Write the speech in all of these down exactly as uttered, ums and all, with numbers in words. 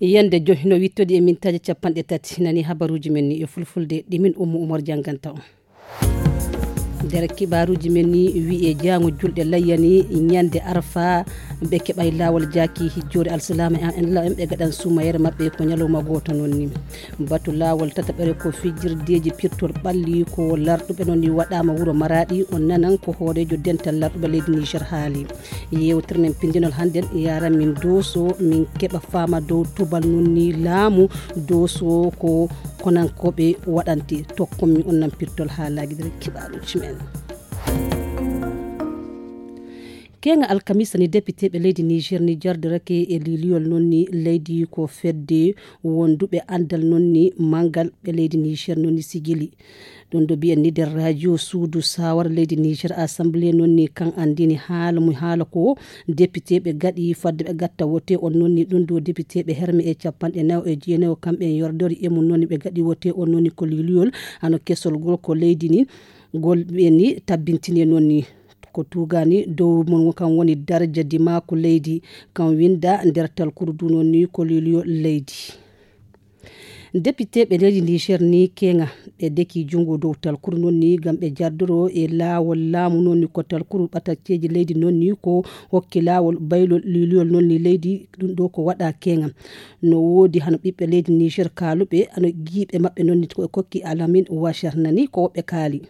Yande joy no wittodi e mintaaji capanɗe tati. Nani habaruuji men ni e fulfulde, ɗi min Ummu Umar jannganta on. Nder kibaruuji men ni, wi'e jaango julɗe layya ni, ñande Arfa, ɓe keɓay laawol jaaki hijjoore alsilaama en, en law en ɓe gaɗan suumayere maɓɓe ko ñalawma gooto noon ni. Batu laawol tataɓere ko fijirdeeji pirtol ɓalli ko larɗuɓe noon ni waɗaama wuro Maraaɗi, on nanan ko hooreejo dental larɗuɓe leydi Niger haali. Yewtere men pinndinol hannden yaran min Dooso, min keɓa faama dow tubal nun ni laamu Dooso ko konankooɓe waɗante. Tokkon mi on nan pirtol haalaaji nder kibaaruuji men. Keeŋa alkamisa ni, depiteeɓe leydi Niger ni jardirake e liiliyol non ni leydi ko fedde wonduɓe anndal non ni manngal ɓe leydi Niger non ni sigili. Ɗum ɗo mbiyen ni nder radio suudu sawara leydi Niger, assemblée non ni kan anndini haala mum, haala ko depiteeɓe gaɗi fadde ɓe gatta wote on non ni ɗum ɗo depiteeɓe herme e capanɗe nayo e jeenayo kamɓe en yordori e mum non ni ɓe gaɗi wote on non ni ko liiliyol hano kesol ngol ko leydi ni ngol ɓe ni tabbintini non ni ko tugani dow mum kan woni daraja dimaku leydi kan winda nder talkuru du non ni ko liiliyol leydi. Depiteeɓe leydi Niger ni keeŋa ɓe deki junngo dow talkuru non ni ngam ɓe jardoro e laawol laamu non ni ko talkuru ɓatacceeji leydi non ni ko hokki laawol baylol liiliyol non ni leydi ɗum ɗo ko waɗa keeŋa. No woodi hano ɓiɓɓe leydi Niger kaaluɓe hano giiɓe maɓɓe non ni ko e kokki Alamin Washar nani ko woɓɓe kaali.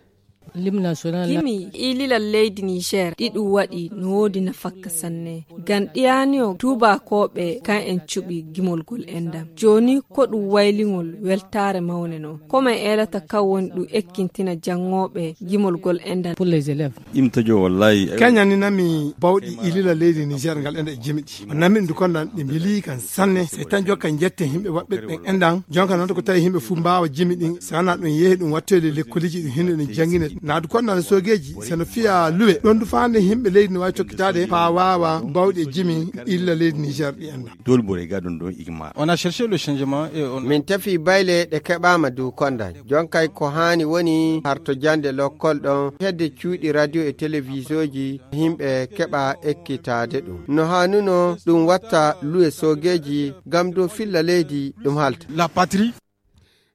Gimi ililal leydi Niger ɗi ɗum waɗi no woodi nafakka sanne. Ngam ɗiyani o tuubakooɓe kan en cuɓi gimolgol endam. Jooni ko ɗum wayliŋol weltaare mawne non. Ko men eelata kan woni ɗum ekkintina janngooɓe gimolgol endam. Pour les élèves. Imtajo wallahi. Keñaninami bawɗi ililal leydi Niger ngal enda e jimi ɗi. O nammi ɗum kon nan ɗi mbili kan sanne. Se tan jokka jette yimɓe waɗɓe ɓen enɗan. Jonka noon ko tawi yimɓe fof mbaawa jimi ɗin. So wonaa ɗum yehi ɗum wattoyde lekkoliji ɗum hino ɗum janngine. Naadu kon nan soogeeji. So no fiya luwe. Ɗon du faande yimɓe leydi no waawi tokkitaade. Faa waawa bawɗi e jimi illa leydi Niger ɗi enɗan. Dole bore ga ɗum ɗon igma. On a cherché le changement et on. Min tefi bayle ɗe keɓaama du kondan. Jonkay ko haani woni harto jande lokkol ɗon. Hedde cuuɗi radio e televisoji. Yimɓe keɓa ekkitaade ɗum. No haanuno ɗum watta luwe soogeeji ngam dow filla leydi ɗum halta. La patrie.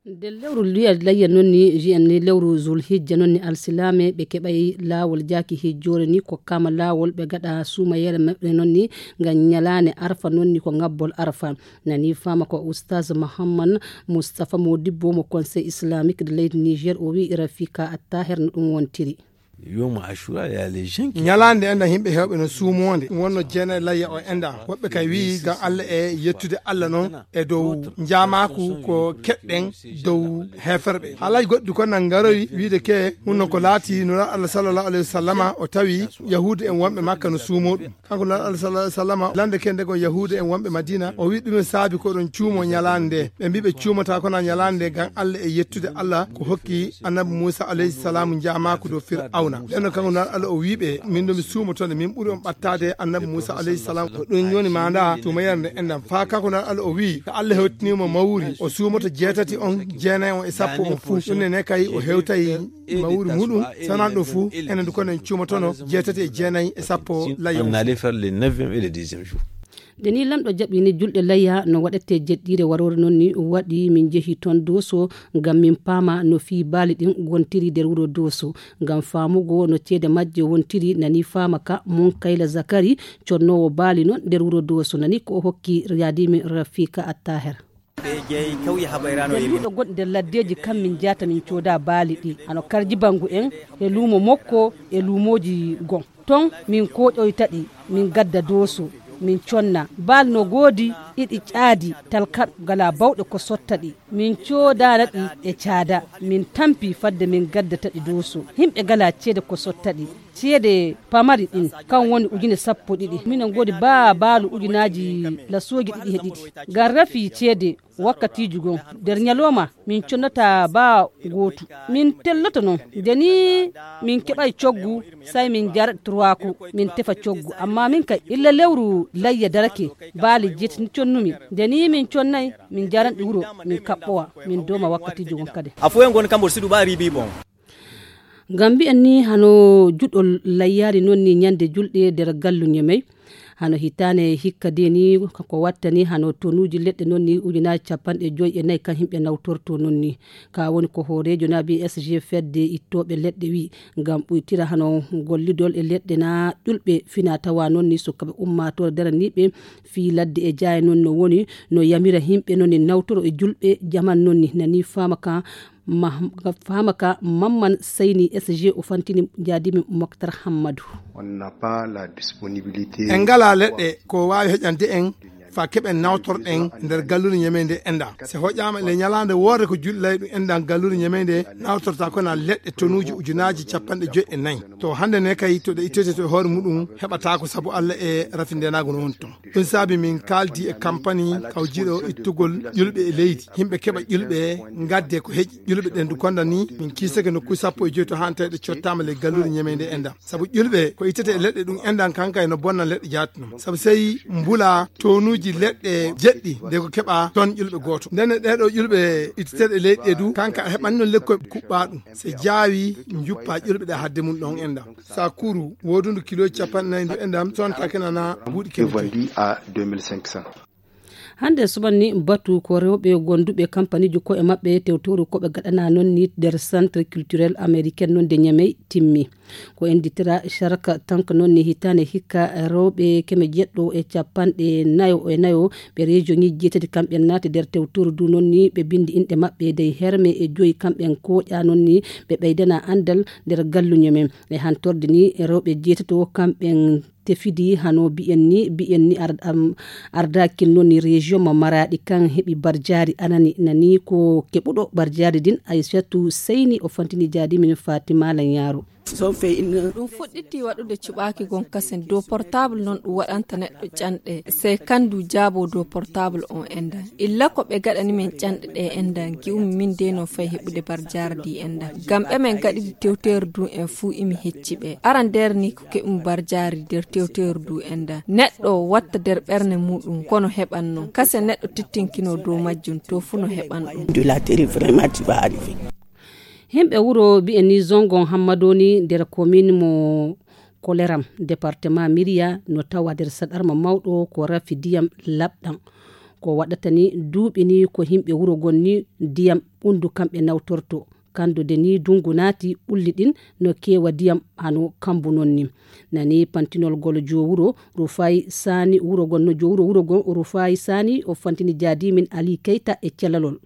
Nder lewru luya layya noon ni, wiyen ni lewru zul hijja noon ni alsilaame ɓe keɓay laawol jaaki hijjoore ni ko kama laawol ɓe gaɗa suumayere maɓɓe noon ni ngam ñalaande arfa noon ni ko ngabbol arfa. Nani fama ko Oustaz Mahamman Moustapha Modibbo mo Conseil Islamique de leydi Niger o wi Rafika Attaher no ɗum wontiri. Yoma Ashura ya les gens qui. Ñalaande enda yimɓe heewɓe no suumoonde wonno jeena layya o enda woɓɓe kay wi'i ngam Allah e yettude Allah noon e dow njaamaaku ko keɗɗen dow heeferɓe. Haalaaji goɗɗi kon nan ngaroyi wiide ke hunno ko laati nura Allah sallallahu alayhi wa sallama o tawi yahuudu en wonɓe Makka no suumoo ɗum. Kanko nura Allah sallallahu alayhi wa sallama lande ke ndego yahuudu en wonɓe Madina o wi ɗum e saabi ko ɗon cuumo ñalaande nde ɓe mbi ɓe cuumata kona ñalaande nde ngam Allah e yettude Allah ko hokki annabi Muusa alayhi salaam njaamaaku dow Fir'awna. Ɓen no kanko nura Allah o wi ɓe min ɗo mi suumoto nde min ɓuri on ɓattaade annabi Muusa alayhi salaam. Ko ɗum yoni maanda tuumayere nde enɗan faa kanko nura Allah o wi ko Allah hewtinimo mawri o suumoto jeetati on jeenay on e sappo on fuu. Ɗum ne ne kay o hewtay mawri muɗum sanan ɗo fuu enen du kono en cuumotono jeetati e jeenay e sappo layya. On allait faire le neuvième et le dixième jour. Nde ni lamɗo jaɓi ni julɗe layya no waɗete jeɗɗiire waroore noon ni waɗi min jehi toon Dooso ngam min paama no fii baali ɗin wontiri nder wuro Dooso. Ngam faamugo no ceede majje wontiri nani faama ka Munkayla Zakari connoowo baali noon nder wuro Dooso nani ko o hokki yaadiimin Rafika Attaher. Ɓe jeyi kawye haɓayrano e min. Gonɗi nder laddeeji kam min jaata min cooda baali ɗi hano karji bangu en e luumo mokko e luumooji gon. Ton min kooƴoyta ɗi min gadda Dooso min conna baali no goodi ɗiɗi caadi talkat gala bawɗe ko sotta ɗi min coodana ɗi e caada min tampi fadde min gaddata ɗi Dooso yimɓe gala ceede ko sotta ɗi. Ceede pamari ɗin kan woni ujune sappo ɗiɗi minen goodi baa baalu ujunaaji lasooji ɗiɗi he ɗiɗi ngam rafi ceede. Wakkatiiji goo nder ñalooma min connata baa gootu min telloto noon nde nii min keɓay coggu say min njarat turwaaku min tefa coggu amma min kay illa lewru layya darake baali jeetati ni connumi nde nii min connay min njaranɗi wuro min kaɓɓowa min dooma wakkatiiji goo kadi. A foyen gon kamɓol sidu ɓa ribi bon. Ngam mbiyen ni hano juɗol layyaari noon ni ñande julɗe nder gallu ñemey. Hano hitaande hikka de ni ko wattani hano tonuuji leɗɗe noon ni ujunaaji capanɗe joyi e nayi kan yimɓe nawtorto noon ni. Ka woni ko hooreejo naabi S G fedde ittooɓe leɗɗe wi ngam ɓuytira hano gollidol e leɗɗe na ƴulɓe fina tawa noon ni sukkaɓe ummaatoore daraniiɓe fii ladde e jaaye noon no woni no yamira yimɓe noon ni nawtoro e julɓe jaman noon ni nani faama ka Faama ka Mamman Sayni S G o fantini jaadimi Moktar Hammadu. En ngalaa leɗɗe ko waawi heƴande en fa keɓen nawtorɗen nder gallure ñemeende enɗan. Si hoƴaama le ñalaande woore ko julɗi layi ɗum enɗan gallure ñemeende nawtorta kona leɗɗe tonuuji ujunaaji capanɗe joyi e nayi. To hannde ne kay to ɗe ittete to e hoore muɗum heɓataako sabu Alla e rafindenaago no woni ton. Ɗum saabi min kaaldi e kampani kawjiɗo ittugol ƴulɓe e leydi. Yimɓe keɓa ƴulɓe ngadde ko heƴi. Ƴulɓe ɗen du konda ni min kiisake nokku sappo e joyi to hantay ɗe cottaama le gallure ñemeende enɗan. Sabu ƴulɓe ko ittete e leɗɗe ɗum enɗan kanka e no bonna leɗɗe jaati non. Sabu sey mbula tonuuji leɗɗe jeɗɗi nde ko keɓa ton ƴulɓe gooto. Ndenne ɗee ɗoo ƴulɓe itteteeɗe leydi ɗee du kanka a heɓani non lekkoy kuɓɓa ɗum. Se jaawi njuppa ƴulɓe ɗe hadde mum ɗon enɗan. Sa kuru woodundu kilo capanɗe nayi ndu enɗan sonta kenana buuɗi kene joyi. Hannde suɓan ni batu ko rewɓe gonduɓe kampaniiji ko'e maɓɓe tewtoru koɓe gaɗana noon ni nder centre culturel américain noon de ñamey timmi. Ko ennditira sharka tank noon ni hitaande hikka rewɓe keme jeɗɗo e capanɗe nayo e nayo ɓe région ŋiji jeetati kamɓe naati nder tewtoru du noon ni ɓe binndi inɗe maɓɓe dey herme e joyi kamɓen kooƴa noon ni ɓe ɓeydana anndal nder galluño men. E hantorde ni rewɓe jeetato kamɓen tefidi hano biyen ni biyen ni ardakin noon ni région mo maraɗi kan heɓi barjaari anani nani ko keɓuɗo barjaari din aysatu seyni o fantini jaadi min fatima lañaaro. Ɗum fuɗɗiti waɗude cuɓaaki gon kasen dow portable noon ɗum waɗanta neɗɗo canɗe sey kandu jaabo dow portable on endan illa ko ɓe gaɗani men canɗe ɗe endan gi'umi min de no fay heɓude barjaari di endan ngam ɓe men gaɗidi tewteere du en fuu imi hecci ɓe aran nder ni ko keɓum barjaari nder tewteere du endan neɗɗo watta nder ɓernde muɗum kono heɓan non kase neɗɗo tittinkino dow majjum to fuu no heɓan ɗum. Himɓe wuro bi'e ni zongon hammadoni nder komin mo koleram département miriya no tawa nder saɗarma mawɗo ko rafi diyam laɓɗam ko waɗata ni duuɓi ni ko himɓe wuro gon ni diyam ɓundu kamɓe nawtorto kando de ni dungu naati ɓulli ɗin no keewa diyam hano kambu non ni nani pantinol gol jo wuro rufayi sani wuro gon no jo wuro wuro gon rufayi sani o fantini jaadimin ali keyta e celalol.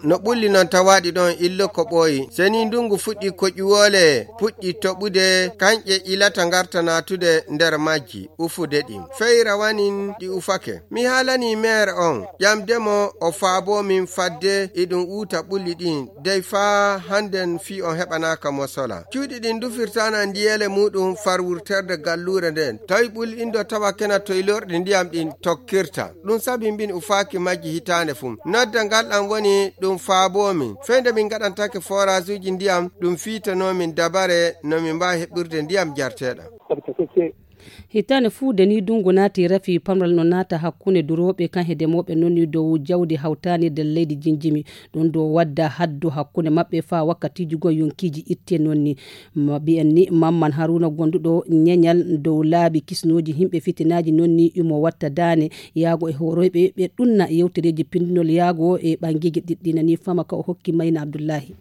No ɓulli noon tawaaɗi ɗoon illo ko ɓooyi. Seni ndunngu fuɗɗi ko ƴuwoole puɗɗi toɓude, kañƴe ilata ngarta naatude nder majji, ufude ɗi. Fey rawanin ɗi ufake. Mi haalanii meer on, ƴamde mo o faaboo min fadde iɗum uuta ɓulli ɗiin, dey faa hannden fii on heɓanaaka mo sola. Cuuɗi ɗin ndufirtaana ndiyeele muuɗum far wurterde galluure ndeen. Tawi ɓulli ɗin ɗo tawakena toy lorɗi ndiyam ɗin tokkirta. Ɗum sabi mbin ufaaki majji hitaande fuu. Nodda ngal ɗam woni ɗum faaboo min. Fey nde min ngaɗantake foraazuuji ndiyam, ɗum fiitanoo min dabare no min mbaawi heɓɓirde ndiyam jarteeɗam. Hitaande fuu de ni dungu naati rafi pamral no naata hakkunde durooɓe kan he demooɓe non ni dow jawdi hawtaani nder leydi jinjimi. Ɗum ɗo wadda haddu hakkunde maɓɓe faa wakkatiiji goo yonkiiji itte non ni. Mbiyen ni Mamman Haruna gonduɗo ñeñal dow laabi kisnooji yimɓe fitinaaji non ni imo watta daane yaago e hooroyɓe ɓe ɗunna yewtereeji pindunol yaago e ɓangeeji ɗiɗɗi nani fama ka o hokki Mayna Abdullahi.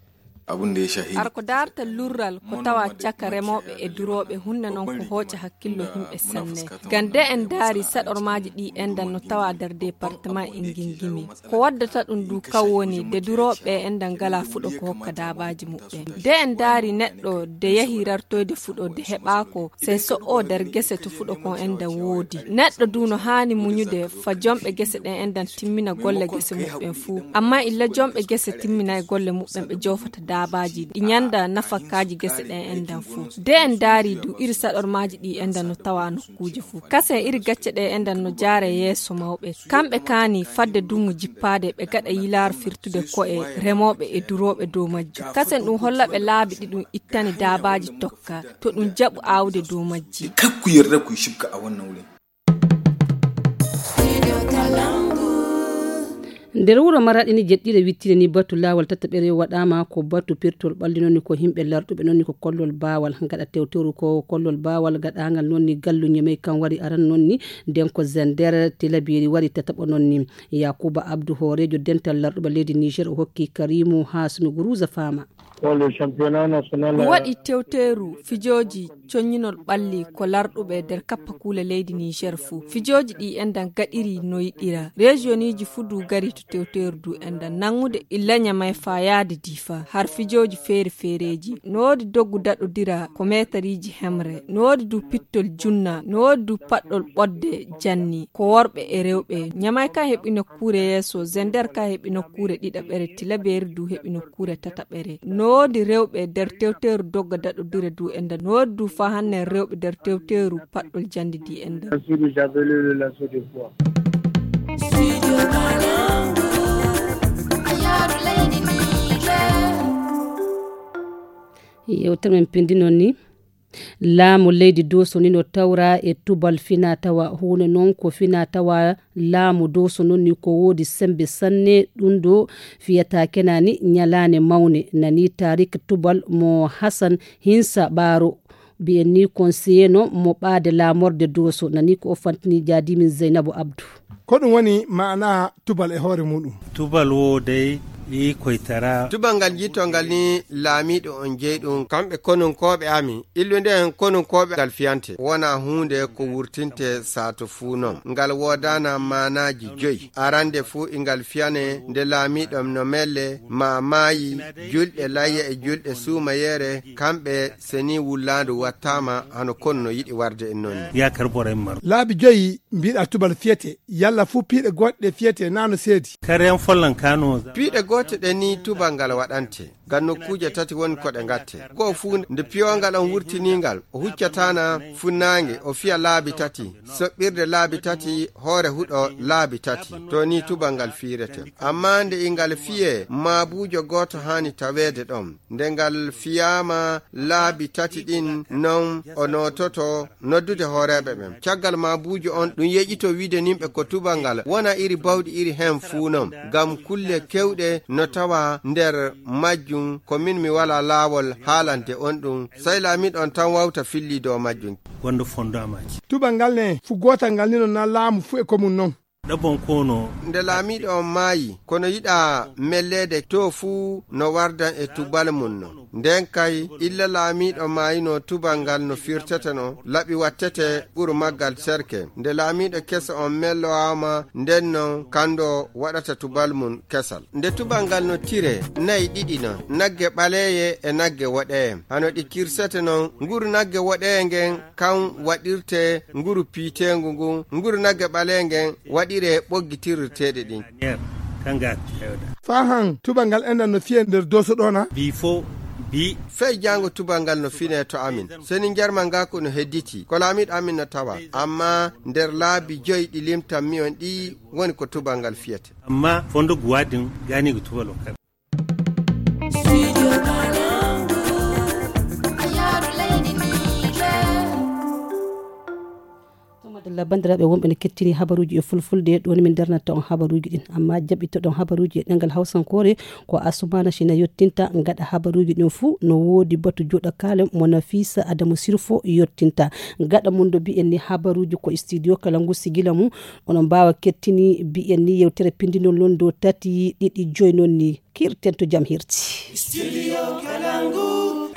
Ar ko daarta lurral ko tawa caka remooɓe e durooɓe hunde noon ko hooƴa hakkillo yimɓe sanne. Ngam de en ndaari saɗormaaji ɗi enɗan no tawa nder departement e ngingimi. Ko waddata ɗum du kaw woni de durooɓe enɗan ngala fuɗo ko hokka daabaaji muɓɓen. De en ndaari neɗɗo de yahi rartoyde fuɗo de heɓaako sey so o nder gese to fuɗo kon enɗan woodi. Neɗɗo du no haani muñude fa jomɓe gese ɗen enɗan timmina golle gese muɓɓen fuu. Amma illa jomɓe gese timminay golle muɓɓen ɓe joofata daabaaji ɗi ñanda nafakaaji gese ɗen enɗan fuu. De en ndaari du iri saɗormaaji ɗi enɗan no tawa nokkuuje fuu. Kasen iri gacce ɗe enɗan no jaare yeeso mawɓe. Kamɓe kaani fadde dungu jippaade ɓe gaɗa yilaaru firtude ko'e remooɓe e durooɓe dow majji. Kasen ɗum holla ɓe laabi ɗi ɗum ittani daabaaji tokka to ɗum jaɓu aawde dow majji. Nder wuro Maraɗi ni jeɗɗire wittine ni batu laawol tataɓere waɗaama ko batu pirtol ɓalli noon ni ko yimɓe larɗuɓe noon ni ko kollol baawal gaɗa tewteru ko kollol baawal gaɗaangal noon ni gallu ñemey kan wari aran noon ni nden ko Zender Tilabiri wari tataɓo noon ni. Yakuba Abdu hooreejo dental larɗuɓe leydi Niger o hokki Karimu Hasumi Guruza faama. Pour le championnat national. Ɗum waɗi tewteeru fijooji coññinol ɓalli ko larɗuɓe nder kappakuule leydi Niger fuu. Fijooji ɗi enɗan gaɗiri no yiɗira. Rejiyoniji fuu du gari to tewteeru du enɗan. Nanngude illa Ñamay faa yaade Difa har fijooji feere feereeji. No woodi doggu daɗodira ko meetariiji hemre. No woodi du pittol junna. No woodi du paɗɗol ɓodde janni. Ko worɓe e rewɓe. Ñamay ka heɓi nokkuure yeeso, Zender ka heɓi nokkuure ɗiɗaɓere, Tilaberi du heɓi nokkuure tataɓere. No woodi rewɓe nder tewteeru dogga daɗodire du enɗan. No woodi du faa hanne rewɓe nder tewteeru paɗɗol janndi di enɗan. Yewtere men pindi noon ni. Laamu leydi Dooso ni no tawra e tubal fina tawa. Huunde noon ko fina tawa laamu Dooso noon ni ko woodi sembe sanne. Ɗum ɗo fiyata kenani ñalaane mawne. Nani Tarik Tubal mo Hasan Hinsa Ɓaaro. Mbiyen ni conseiller no mo ɓaade laamorde Dooso. Nani ko o fantini jaadimin Zeynabu Abdu. Ko ɗum woni maana tubal e hoore muɗum. Tubal wo dey ɗi koytara. Tubal ngal jittongal ni laamiiɗo on jeyi ɗum, kamɓe konunkooɓe amin. Illude en konunkooɓe ngal fiyante. Wona huunde ko wurtinte saato fuu non. Ngal woodana maanaaji joyi. Arande fuu ingal fiyane nde laamiiɗo no melle, ma maayi, julɗe layya e julɗe suumayeere, kamɓe seni wullaandu wattaama hano konu no yiɗi warde en noon. Yaakar boray mar. Laabi joyi mbiɗa tubal fiyete, yalla fuu piiɗe goɗɗe fiyete naa no seedi. Kare en follan kano. Piiɗe goote ɗe ni tubal ngal waɗante. Ngam nokkuuje tati woni ko ɗe ngatte. Goo fuu nde piyongal on wurtiningal, o huccatana funnaange, o fiya laabi tati, soɓɓirde laabi tati, hoore huɗo laabi tati. To ni tubal ngal fiirete. Amma nde ingal fiye, maabuujo gooto haani taweede ɗon. Nde ngal fiyaama laabi tati ɗin non o noototo noddude hooreeɓe ɓen. Caggal maabuujo on ɗum yeƴito wiide nimɓe ko tubal ngal wona iri bawɗi iri hen fuu non. Ngam kulle kewɗe no tawa nder majjum ko min mi walaa laawol haalande on ɗum. Sey laamiiɗo on tan wawta filli dow majjum. Wonde fondamaji. Tubal ngal ne fu gootal ngal ni no na laamu fu e ko mum non. Ɗaɓɓon kono. Nde laamiiɗo on maayi, kono yiɗa melleede to fuu no wardan e tubal mum non. Nden kay, illa laamiiɗo maayino tubal ngal no firtete non, laɓi wattete ɓuru maggal serke. Nde laamiiɗo keso on mellowaama, nden non kando waɗata tubal mum kesal. Nde tubal ngal no tire, nayi ɗiɗi non, nagge ɓaleeye e nagge woɗeeye. Hano ɗi kirsete non, nguru nagge woɗeeye ngen kan waɗirte nguru piiteengu ngun, nguru nagge ɓaleeye ngen waɗire ɓoggi tirirteeɗi ɗin. Faa han tubal ngal enɗan no fiye nder Dooso ɗoo na? Bi fo, bi. Fey jaango tubal ngal no fine to amin. Seni njarma ngaku no hedditi. Ko laamiiɗo amin no tawa. Amma nder laabi joyi ɗi limtan mi on ɗi woni ko tubal ngal fiyete. Amma fondo guwadin gani ko tubal o kaɓe. Madalla, banndiraaɓe wonɓe ne kettini habaruuji e fulfulde, ɗo ni min darnata on habaruuji ɗin. Amma jaɓɓitoɗon habaruuji e ɗemngal hawsankoore, ko Asumana Sina yottinta. Gaɗa habaruuji ɗin fuu, no woodi batu joɗa kaale mo Nafisa Adamu Sirfo yottinta. Gaɗa mum ɗo mbiyen ni habaruuji ko studio kala ngu sigila mum, onon mbaawa kettini mbiyen ni yewtere pindinol non dow tati ɗiɗi joyi non ni. Kirten to jam hirti. Studio Kalangu.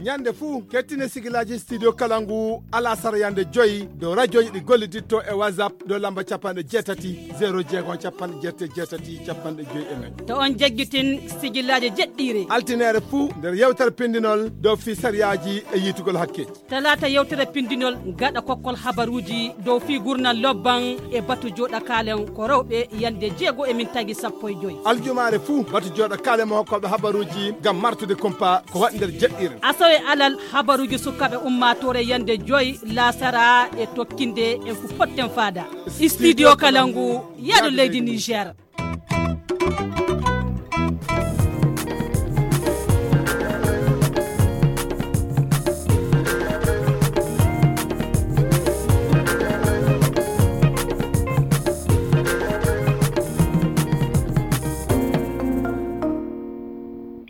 Ñande fuu, kettine sigilaaji Studio Kalangu, alasara yande joyi, dow rajoji ɗi golliditto e WhatsApp, dow lamba capanɗe jeetati, zero jeegom, capanɗe jeetati, capanɗe joyi e nayi. To on jaggitin sigilaaji jeɗɗiire. Altineere fuu, nder yewtere pindinol, dow fii sariyaaji e yiitugol hakkeeji. Talaata yewtere pindinol gaɗa kokkol habaruuji dow fii gurnal lobban e batu joɗa kaalen ko rewɓe yande jeego e min tagi sappo e joyi. Aljumaare fuu batu joɗa kaalen mo hokkooɓe habaruuji ngam martude kumpa ko waɗi nder jeɗɗiire. Asawe alal habaruuji sukaaɓe ummaatoore yande joyi laasara e tokkinde en fu potten faada. Studio Kalangu, yaadu leydi Niger.